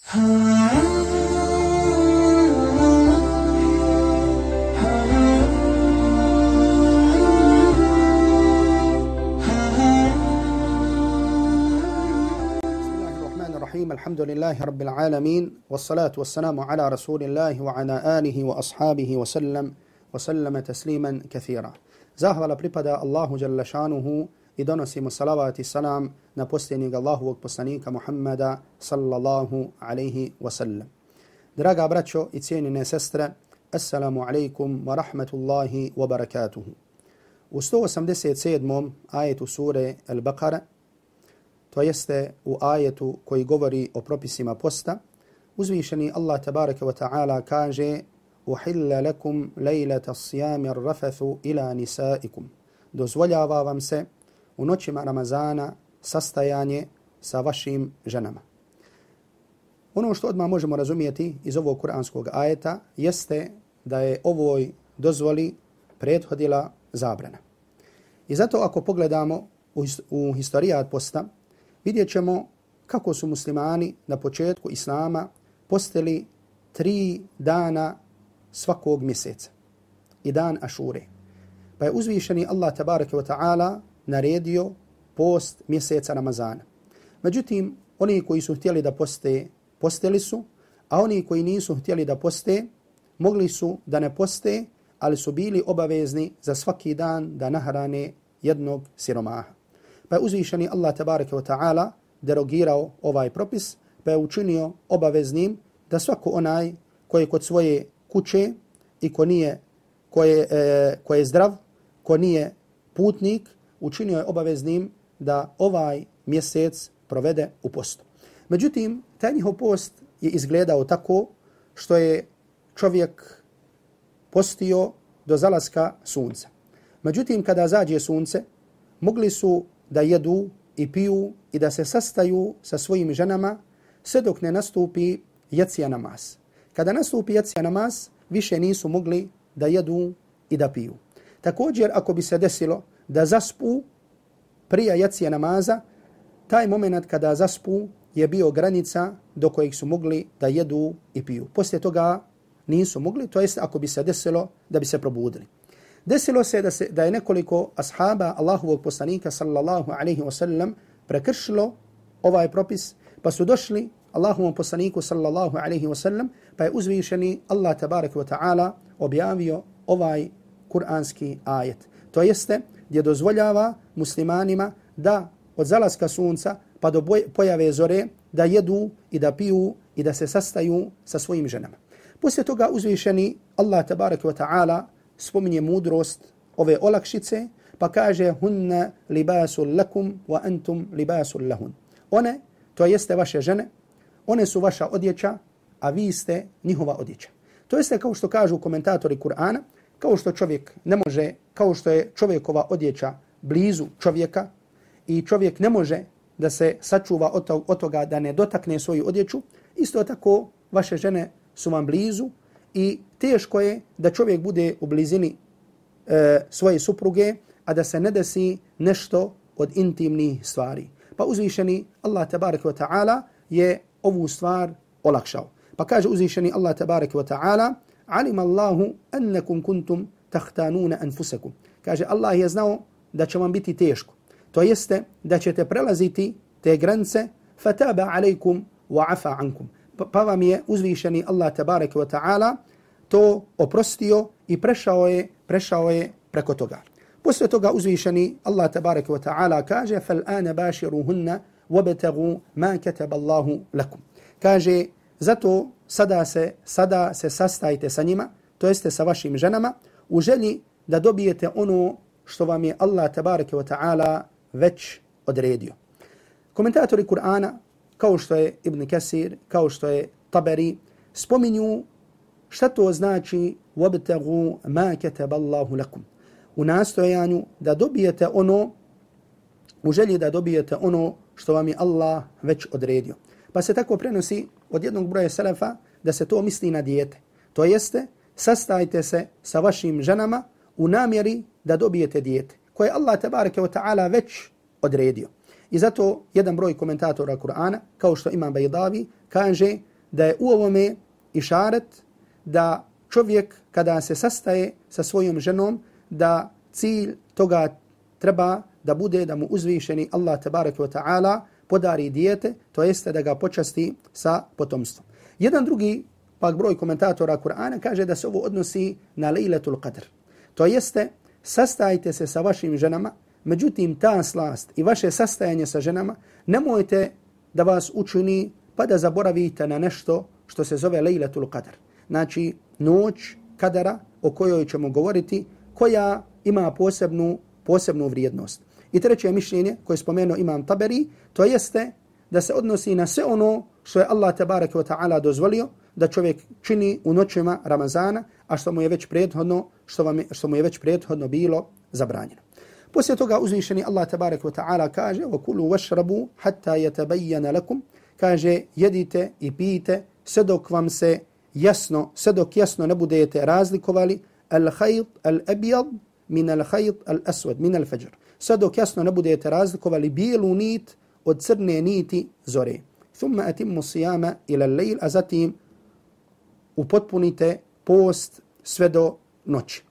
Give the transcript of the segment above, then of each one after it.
الحمد لله رب العالمين والصلاة والسلام على رسول الله وعلى آله وأصحابه وسلم تسليما كثيرا. Zahvala pripada Allahu dželle šanuhu i donosimo salavat i salam na posljednjeg Allahovog poslanika Muhammada sallallahu alaihi wasallam. Draga braćo i cijenine sestre, assalamu alaikum wa rahmatullahi wa barakatuhu. U 187. ajetu sure Al-Baqara, to jeste u ajetu koji govori o propisima posta, uzvišeni Allah tabaraka wa ta'ala kaže: uhilla lakum lejlata sijami rafathu ila nisaikum. Dozvoljava vam se u noćima Ramazana sastajanje sa vašim ženama. Ono što odmah možemo razumijeti iz ovog kuranskog ajeta jeste da je ovoj dozvoli prethodila zabrana. I zato ako pogledamo u historijat posta, vidjet ćemo kako su muslimani na početku Islama postili 3 dana svakog mjeseca i dan Ašure. Pa je uzvišeni Allah tabaraka wa ta'ala naredio post mjeseca Ramazana. Međutim, oni koji su htjeli da poste, postili su, a oni koji nisu htjeli da poste, mogli su da ne poste, ali su bili obavezni za svaki dan da nahrane jednog siromaha. Pa je uzvišeni Allah tabaraka wa ta'ala derogirao ovaj propis, pa je učinio obaveznim da svako onaj koji kod svoje kuće i ko je zdrav, ko nije putnik, učinio je obaveznim da ovaj mjesec provede u postu. Međutim, taj njihov post je izgledao tako što je čovjek postio do zalaska sunca. Međutim, kada zađe sunce, mogli su da jedu i piju i da se sastaju sa svojim ženama sve dok ne nastupi jacija namaz. Kada nastupi jacija namaz, više nisu mogli da jedu i da piju. Također, ako bi se desilo da zaspu prije jacija namaza, taj moment kada zaspu je bio granica do kojeg su mogli da jedu i piju. Poslije toga nisu mogli, to jest ako bi se desilo da bi se probudili. Desilo se da je nekoliko ashaba Allahovog poslanika sallallahu alaihi wasallam prekršilo ovaj propis, pa su došli Allahovom poslaniku sallallahu alaihi wasallam, pa je uzvišeni Allah tabaraka wa ta'ala objavio ovaj kuranski ajet. To jeste gdje dozvoljava muslimanima da od zalaska sunca pa do pojave zore da jedu i da piju i da se sastaju sa svojim ženama. Poslije toga uzvišeni Allah tabaraka wa ta'ala spominje mudrost ove olakšice, pa kaže: hunna libasul lakum wa antum libasul lahun. One, to jeste vaše žene, one su vaša odjeća, a vi ste njihova odjeća. To jeste kao što kažu komentatori Kur'ana, kao što čovjek ne može, kao što je čovjekova odjeća blizu čovjeka i čovjek ne može da se sačuva od toga da ne dotakne svoju odjeću, isto tako vaše žene su vam blizu i teško je da čovjek bude u blizini svoje supruge, a da se ne desi nešto od intimnih stvari. Pa uzvišeni Allah tabaraka wa ta'ala je ovu stvar olakšao. Pa kaže uzvišeni Allah tabaraka wa ta'ala: alima Allahu annakum kuntum tahtanuna anfusakum. Kaže, Allah je znao da će vam biti teško. To jeste da ćete prelaziti te granice, fataba alejkum wa afa ankum. Pa vam je uzvišeni Allah tabaraka wa ta'ala to oprostio i prešao je preko toga. Poslije toga uzvišeni Allah tabaraka wa ta'ala kaže: fal ana bashiruhunna wabtaghu ma kataba Allahu lakum. Kaže, zato sada se sastajte sa njima, to jeste sa vašim ženama, u želji da dobijete ono što vam je Allah tabaraka wa ta'ala već odredio. Komentatori Kur'ana, kao što je Ibn Kasir, kao što je Taberi, spominju šta to znači wabtaghu ma kataba Allahu lakum. U nastojanju da dobijete ono, u želji da dobijete ono što vam je Allah već odredio. Pa se tako prenosi od jednog broja selefa da se to misli na dijete. To jeste, sastajte se sa vašim ženama u namjeri da dobijete dijete, koje Allah tabaraka wa ta'ala već odredio. I zato jedan broj komentatora Kur'ana, kao što Imam Bajdavi, kaže da je u ovome išaret da čovjek kada se sastaje sa svojom ženom, da cilj toga treba da bude da mu uzvišeni Allah tebareke ve ta'ala podari dijete, to jeste da ga počasti sa potomstvom. Jedan drugi pak broj komentatora Kur'ana kaže da se ovo odnosi na Lejletul Qadr. To jeste, sastajte se sa vašim ženama, međutim ta slast i vaše sastajanje sa ženama nemojte da vas učini pa da zaboravite na nešto što se zove Lejletul Qadr. Znači, noć kadara o kojoj ćemo govoriti, koja ima posebnu vrijednost. I treće mišljenje koje je spomenuo Imam Taberi, to jeste da se odnosi na sve ono što je Allah tebareke ve ta'ala dozvolio da čovjek čini u noćima Ramazana, a što mu je već prethodno bilo zabranjeno. Poslije toga uzvišeni Allah tebareke ve ta'ala kaže: "Wa kulu washrabu hatta yatabayyana lakum", kaže jedite i pijte sve dok vam se jasno ne budete razlikovali al-khayt al-abyad min al-khayt al-aswad min al-fajr. Sve dok jasno ne budete razlikovali bijelu nit od crne niti zore. Thumma atimmu siyama ila al-layl, a zatim upotpunite post sve do noći.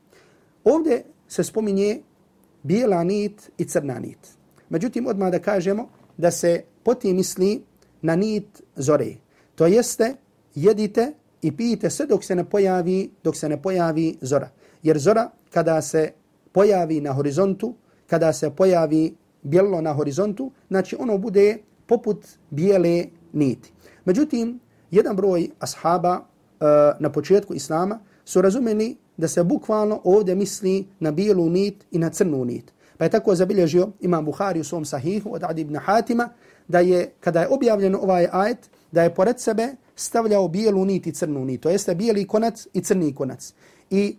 Ovdje se spominje bijela nit i crna nit. Međutim, odmah da kažemo da se potim misli na nit zore. To jeste, jedite i pijite sve dok se ne pojavi zora. Jer zora kada se pojavi na horizontu, kada se pojavi bijelo na horizontu, znači ono bude poput bijele niti. Međutim, jedan broj ashaba na početku Islama su razumeli da se bukvalno ovdje misli na bijelu nit i na crnu nit. Pa je tako zabilježio Imam Buhari u svom sahihu od Adi ibn Hatima, da je, kada je objavljen ovaj ajet, da je pored sebe stavljao bijelu nit i crnu nit. To jeste bijeli konac i crni konac. I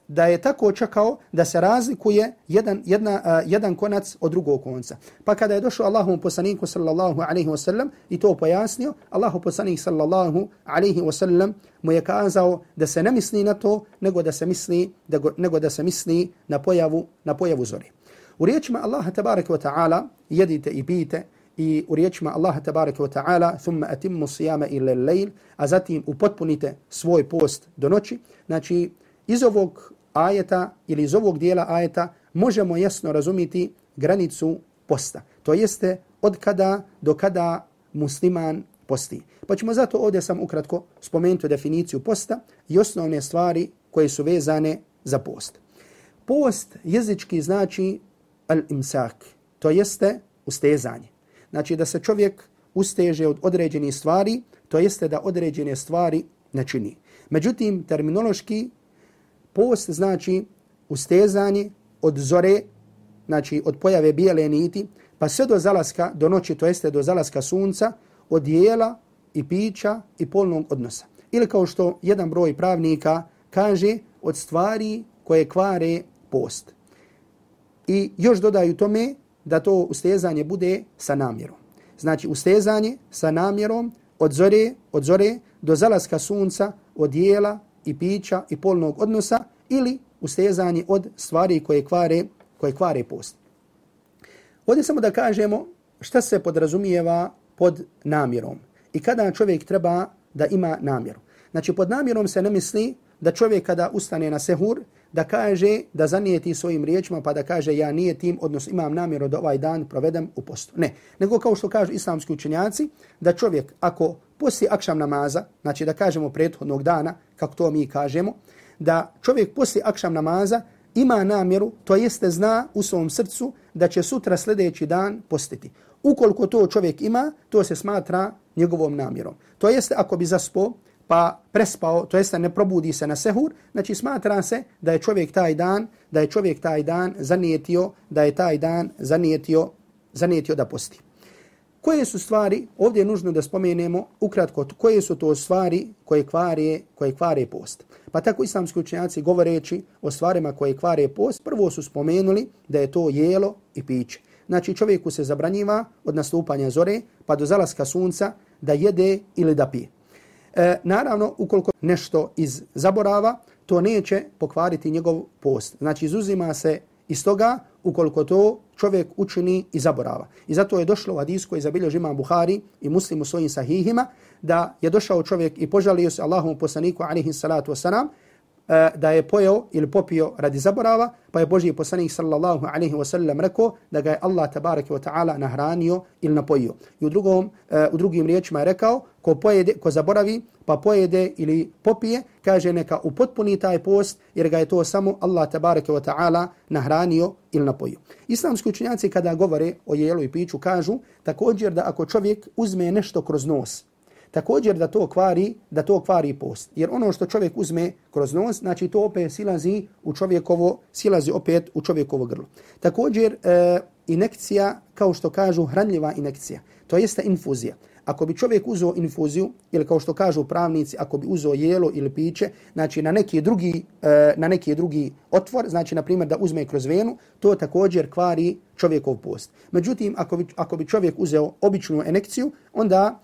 da je tako čekao da se razlikuje jedan konac od drugog konca. Pa kada je došao Allahovom poslaniku sallallahu alaihi wa sallam i to pojasnio, Allahov poslanik sallallahu alaihi wa sallam mu je kazao da se ne misli na to, nego da se misli na pojavu zore. U riječima Allaha tabaraka wa ta'ala jedite i pijte, i u riječima Allaha tabaraka wa ta'ala thumma atimmu siyama ila al-layl, a zatim upotpunite svoj post do noći. Znači, iz ovog ajeta ili iz ovog dijela ajeta možemo jasno razumjeti granicu posta. To jeste od kada do kada musliman posti. Pa ćemo zato ovdje sam ukratko spomenuti definiciju posta i osnovne stvari koje su vezane za post. Post jezički znači al-imsak, to jeste ustezanje. Znači da se čovjek usteže od određenih stvari, to jeste da određene stvari ne čini. Međutim, terminološki post znači ustezanje od zore, znači od pojave bijele niti, pa sve do zalaska, do noći, to jeste do zalaska sunca, od jela i pića i polnog odnosa. Ili kao što jedan broj pravnika kaže, od stvari koje kvare post. I još dodaju tome da to ustezanje bude sa namjerom. Znači ustezanje sa namjerom od zore do zalaska sunca, od jela i pića i polnog odnosa, ili ustezanje od stvari koje kvare post. Ovdje samo da kažemo šta se podrazumijeva pod namjerom i kada čovjek treba da ima namjeru. Znači pod namjerom se ne misli da čovjek kada ustane na sehur da kaže, da zanijeti svojim riječima pa da kaže ja nijetim, odnosno imam namjeru da ovaj dan provedem u postu. Ne, nego kao što kažu islamski učenjaci, da čovjek ako poslije akšam namaza, znači da kažemo prethodnog dana, kako to mi kažemo, da čovjek poslije akšam namaza ima namjeru, to jeste zna u svom srcu da će sutra sljedeći dan postiti. Ukoliko to čovjek ima, to se smatra njegovom namjerom. To jeste ako bi zaspao pa prespao, to jeste ne probudi se na sehur, znači smatra se da je čovjek taj dan zanijetio da posti. Koje su stvari, ovdje je nužno da spomenemo ukratko, koje su to stvari koje kvare post. Pa tako islamski učenjaci govoreći o stvarima koje kvare post, prvo su spomenuli da je to jelo i piće. Znači čovjeku se zabranjiva od nastupanja zore pa do zalaska sunca da jede ili da pije. Naravno, ukoliko nešto iz zaborava, to neće pokvariti njegov post. Znači izuzima se iz toga ukoliko to čovjek učini i zaborava. I zato je došlo u hadisu koji zabilježi Imam Buhari i Muslim u svojim sahihima da je došao čovjek i požalio se Allahovom poslaniku alejhi salatu vesselam da je pojeo ili popio radi zaborava, pa je Božji poslanik sallallahu alejhi ve sellem rekao da ga je Allah tebareke ve taala nahranio ili napojio. I u drugim riječima je rekao ko zaboravi pa pojede ili popije, kaže neka upotpuni taj post jer ga je to samo Allah tebareke ve taala nahranio ili napojio. Islamski učenjaci kada govore o jelu i piću kažu također da ako čovjek uzme nešto kroz nos, također da to kvari post. Jer ono što čovjek uzme kroz nos, znači to opet silazi opet u čovjekovo grlo. Također injekcija, kao što kažu hranljiva injekcija, to jeste infuzija. Ako bi čovjek uzeo infuziju, ili kao što kažu pravnici, ako bi uzeo jelo ili piće, znači na neki drugi otvor, znači na primjer da uzme kroz venu, to također kvari čovjekov post. Međutim, ako bi čovjek uzeo običnu injekciju, onda,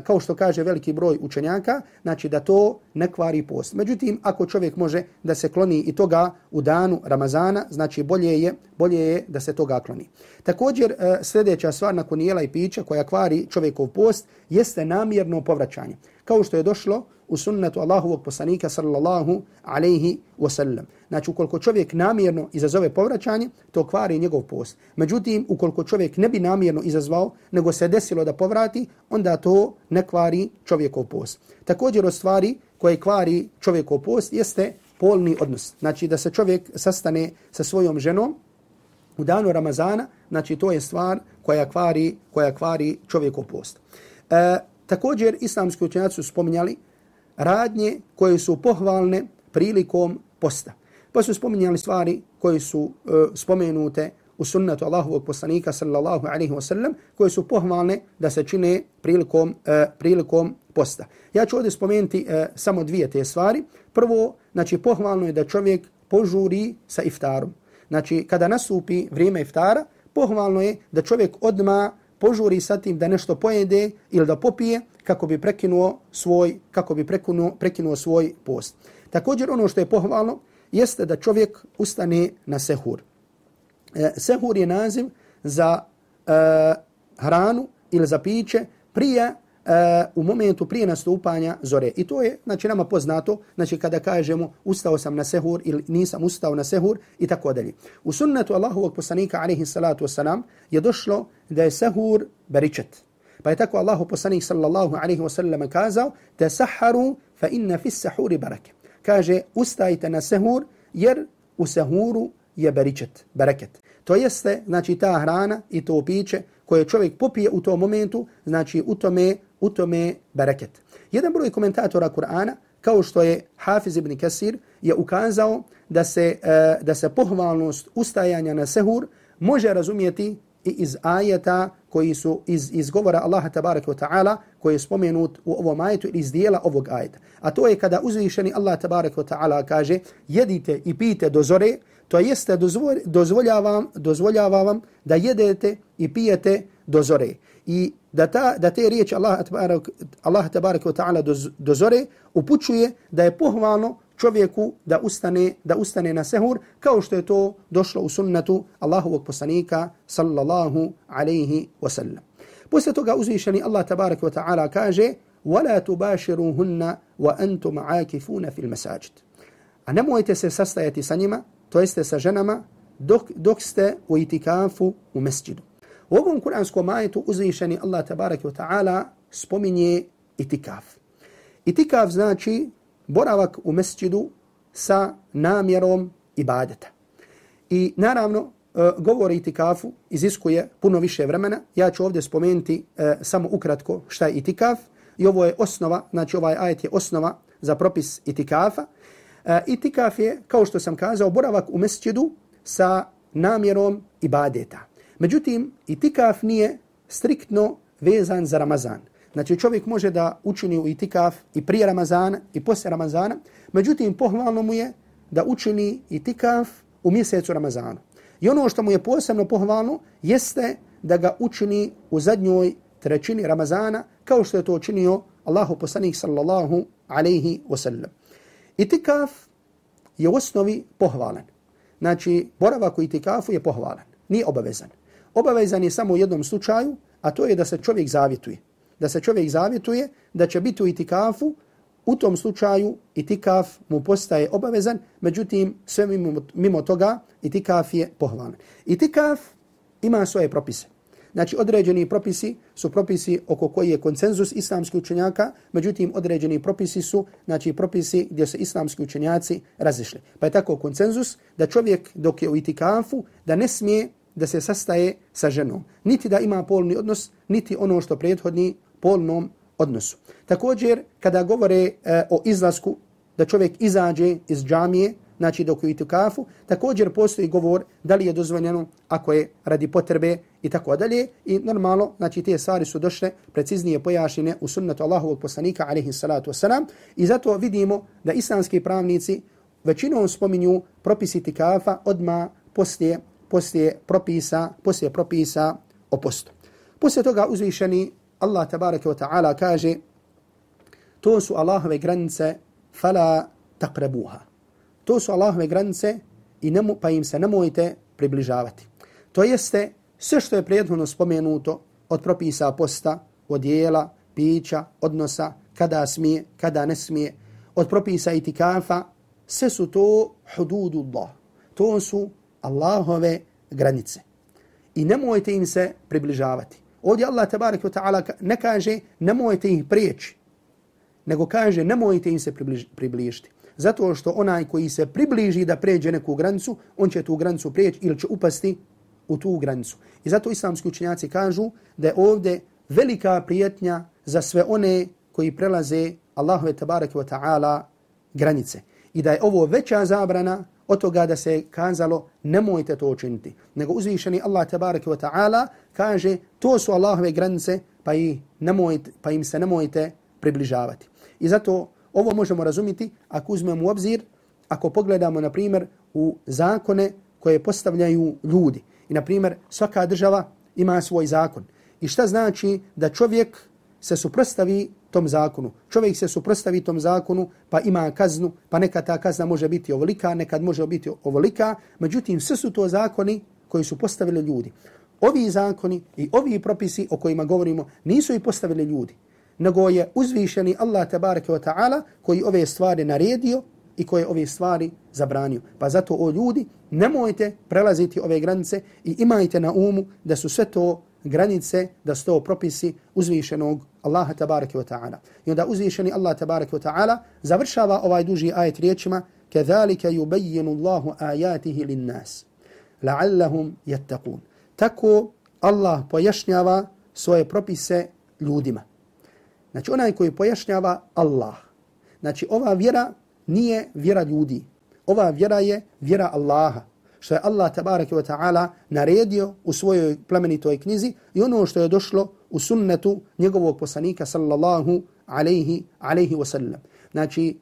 kao što kaže veliki broj učenjaka, znači da to ne kvari post. Međutim, ako čovjek može da se kloni i toga u danu Ramazana, znači bolje je da se toga kloni. Također, sljedeća stvar nakon jela i pića koja kvari čovjekov post jeste namjerno povraćanje. Kao što je došlo u sunnetu Allahovog poslanika sallallahu alejhi ve sellem. Znači, ukoliko čovjek namjerno izazove povraćanje, to kvari njegov post. Međutim, ukoliko čovjek ne bi namjerno izazvao, nego se desilo da povrati, onda to ne kvari čovjekov post. Također od stvari koje kvari čovjekov post jeste polni odnos. Znači, da se čovjek sastane sa svojom ženom u danu Ramazana, znači to je stvar koja kvari čovjekov post. Također, islamski učenjaci su spominjali radnje koje su pohvalne prilikom posta. Pa su spominjali stvari koje su spomenute u sunnetu Allahovog poslanika sallallahu alejhi ve sellem, koje su pohvalne da se čine prilikom posta. Ja ću ovdje spomenuti samo dvije te stvari. Prvo, znači pohvalno je da čovjek požuri sa iftarom. Znači, kada nastupi vrijeme iftara, pohvalno je da čovjek odmah požuri sa tim da nešto pojede ili da popije kako bi prekinuo svoj post. Također ono što je pohvalno jeste da čovjek ustane na sehur. Sehur je naziv za hranu ili za piće u momentu prije nastupanja zore. I to je, znači, nama poznato, znači kada kažemo ustao sam na sehur ili nisam ustao na sehur i tako dalje. U sunnetu Allahovog poslanika alejhi salatu vesselam je došlo da je sehur beričet. Pa je tako Allahov poslanik sallallahu alejhi ve sellem kazao: "Tasahharu fa inna fi as-sahuri baraka." Kaže: "Ustajte na sehur jer u sehuru je bereket." To jeste, znači, ta hrana i to piće koje čovjek popije u tom momentu, znači u tome bereket. Jedan broj komentatora Kur'ana, kao što je Hafiz ibn Kasir, je ukazao da se pohvalnost ustajanja na sehur može razumjeti i iz ajeta koji su iz govora Allaha tabaraka wa ta'ala koji je spomenut u ovom ajetu ili iz dijela ovog ajeta. A to je kada uzvišeni Allah tabaraka wa ta'ala kaže: "Jedite i pijte do zore", to jeste dozvoljavam da jedete i pijete do zore. I da te riječi Allah tabaraka wa ta'ala do zore upućuje da je pohvalno čovjeku da ustane na sehur, kao što je to došlo u sunnetu Allahovog poslanika sallallahu alejhi ve sellem. Posle toga uzvišeni Allah tabaraka wa ta'ala kaže: "Wala tubashiruhunna wa antum aakifuna fil masajid." A nemojte se sastajati sa njima, to jeste sa ženama, dok ste u itikafu u mesdžidu. U ovom kuranskom ajetu uzvišeni Allah tabaraka wa ta'ala spominje itikaf. Itikaf znači boravak u mesdžidu sa namjerom ibadeta. I naravno, govor o itikafu iziskuje puno više vremena. Ja ću ovdje spomenuti samo ukratko šta je itikaf. I ovo je osnova, znači ovaj ajet je osnova za propis itikafa. Itikaf je, kao što sam kazao, boravak u mesdžidu sa namjerom ibadeta. Međutim, itikaf nije striktno vezan za Ramazan. Znači, čovjek može da učini u itikaf i prije Ramazana i poslije Ramazana, međutim, pohvalno mu je da učini itikaf u mjesecu Ramazanu. I ono što mu je posebno pohvalno jeste da ga učini u zadnjoj trećini Ramazana, kao što je to učinio Allahov poslanik sallallahu alejhi ve sellem. Itikaf je u osnovi pohvalan. Znači, boravak u itikafu je pohvalan, nije obavezan. Obavezan je samo u jednom slučaju, a to je da se čovjek zavjetuje. da se čovjek zavjetuje da će biti u itikafu, u tom slučaju itikaf mu postaje obavezan, međutim sve mimo toga itikaf je pohvalan. Itikaf ima svoje propise. Znači određeni propisi su propisi oko koji je konsenzus islamskih učenjaka, međutim određeni propisi su znači propisi gdje se islamski učenjaci razišli. Pa je tako konsenzus da čovjek dok je u itikafu da ne smije da se sastaje sa ženom, niti da ima polni odnos, niti ono što prethodni polnom odnosu. Također kada govore o izlasku da čovjek izađe iz džamije, znači dok je u itikafu, također postoji govor da li je dozvoljeno ako je radi potrebe i tako dalje. I normalno, znači te stvari su došle preciznije pojašnjene u sunnetu Allahovog poslanika alejhi salatu vesselam i zato vidimo da islamski pravnici većinom spominju propisi itikafa odmah poslije propisa o postu. Poslije toga uzvišeni Allah tabaraka wa ta'ala kaže to su Allahove granice fala taqrabuha. To su Allahove granice i pa im se nemojte približavati. To jeste sve što je prethodno spomenuto od propisa posta, od jela, pića, odnosa, kada smije, kada ne smije, od propisa itikafa, sve su to hududullah. To su Allahove granice. I nemojte im se približavati. Ovdje Allah tabaraka wa ta'ala ne kaže nemojte ih prijeći, nego kaže nemojte im se približiti. Zato što onaj koji se približi da pređe neku granicu, on će tu granicu prijeći ili će upasti u tu granicu. I zato islamski učenjaci kažu da je ovdje velika prijetnja za sve one koji prelaze Allahove tabaraka wa ta'ala granice. I da je ovo veća zabrana od toga da se kazalo nemojte to učiniti. Nego uzvišeni Allah tabaraka wa ta'ala kaže to su Allahove granice pa im se nemojte približavati. I zato ovo možemo razumjeti ako uzmemo u obzir, ako pogledamo na primjer u zakone koje postavljaju ljudi. I na primjer svaka država ima svoj zakon. I šta znači da čovjek se suprotstavi tom zakonu? Čovjek se suprotstavi tom zakonu pa ima kaznu, pa nekad ta kazna može biti ovolika, nekad može biti ovolika. Međutim, sve su to zakoni koji su postavili ljudi. Ovi zakoni i ovi propisi o kojima govorimo nisu i postavili ljudi, nego je uzvišeni Allah tabaraka wa ta'ala koji ove stvari naredio i koje ove stvari zabranio. Pa zato o ljudi nemojte prelaziti ove granice i imajte na umu da su sve to granice, da su to propisi uzvišenog Allaha tabaraka wa ta'ala. I onda uzvišeni Allah tabaraka wa ta'ala završava ovaj duži ajet riječima كَذَلِكَ يُبَيِّنُ اللَّهُ آيَاتِهِ لِلنَّاسِ لَعَلَّهُمْ يَتَّقُونَ. Tako Allah pojašnjava svoje propise ljudima. Znači onaj koji pojašnjava Allah. Znači ova vjera nije vjera ljudi. Ova vjera je vjera Allaha. Što je Allah tabaraka wa ta'ala naredio u svojoj plemenitoj knjizi i ono što je došlo u sunnetu njegovog poslanika sallallahu alaihi wa sallam. Znači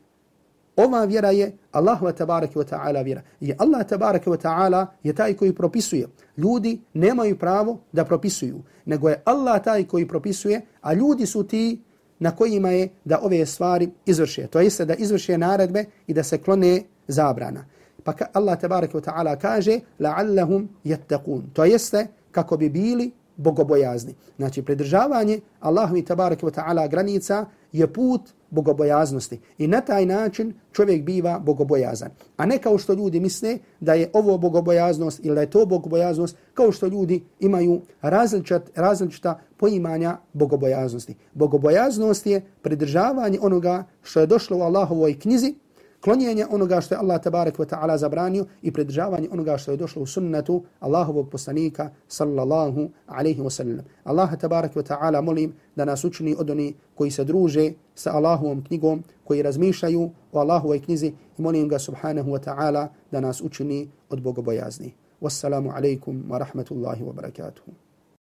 ova vjera je Allahova tabaraka wa ta'ala vjera. I Allah tabaraka wa ta'ala je taj koji propisuje. Ljudi nemaju pravo da propisuju, nego je Allah taj koji propisuje, a ljudi su ti na kojima je da ove stvari izvrše. To jeste da izvrše naredbe i da se klone zabrana. Pa Allah tabaraka wa ta'ala kaže la'allahum yattaqun. To jeste kako bi bili bogobojazni. Znači pridržavanje Allahovi tabaraka wa ta'ala granica je put bogobojaznosti. I na taj način čovjek biva bogobojazan. A ne kao što ljudi misle da je ovo bogobojaznost ili da je to bogobojaznost, kao što ljudi imaju različita poimanja bogobojaznosti. Bogobojaznost je pridržavanje onoga što je došlo u Allahovoj knjizi, klonjenje onoga što je Allah tabaraka wa ta'ala zabranio i pridržavanje onoga što je došlo u sunnetu Allahovog poslanika sallallahu alaihi wa sallam. Allah tabaraka wa ta'ala molim da nas učini od oni koji se druže sa Allahovom knjigom, koji razmišljaju o Allahovoj knjizi i molim ga subhanahu wa ta'ala da nas učini od bogobojazni. Wassalamu alaikum wa rahmatullahi wa barakatuhu.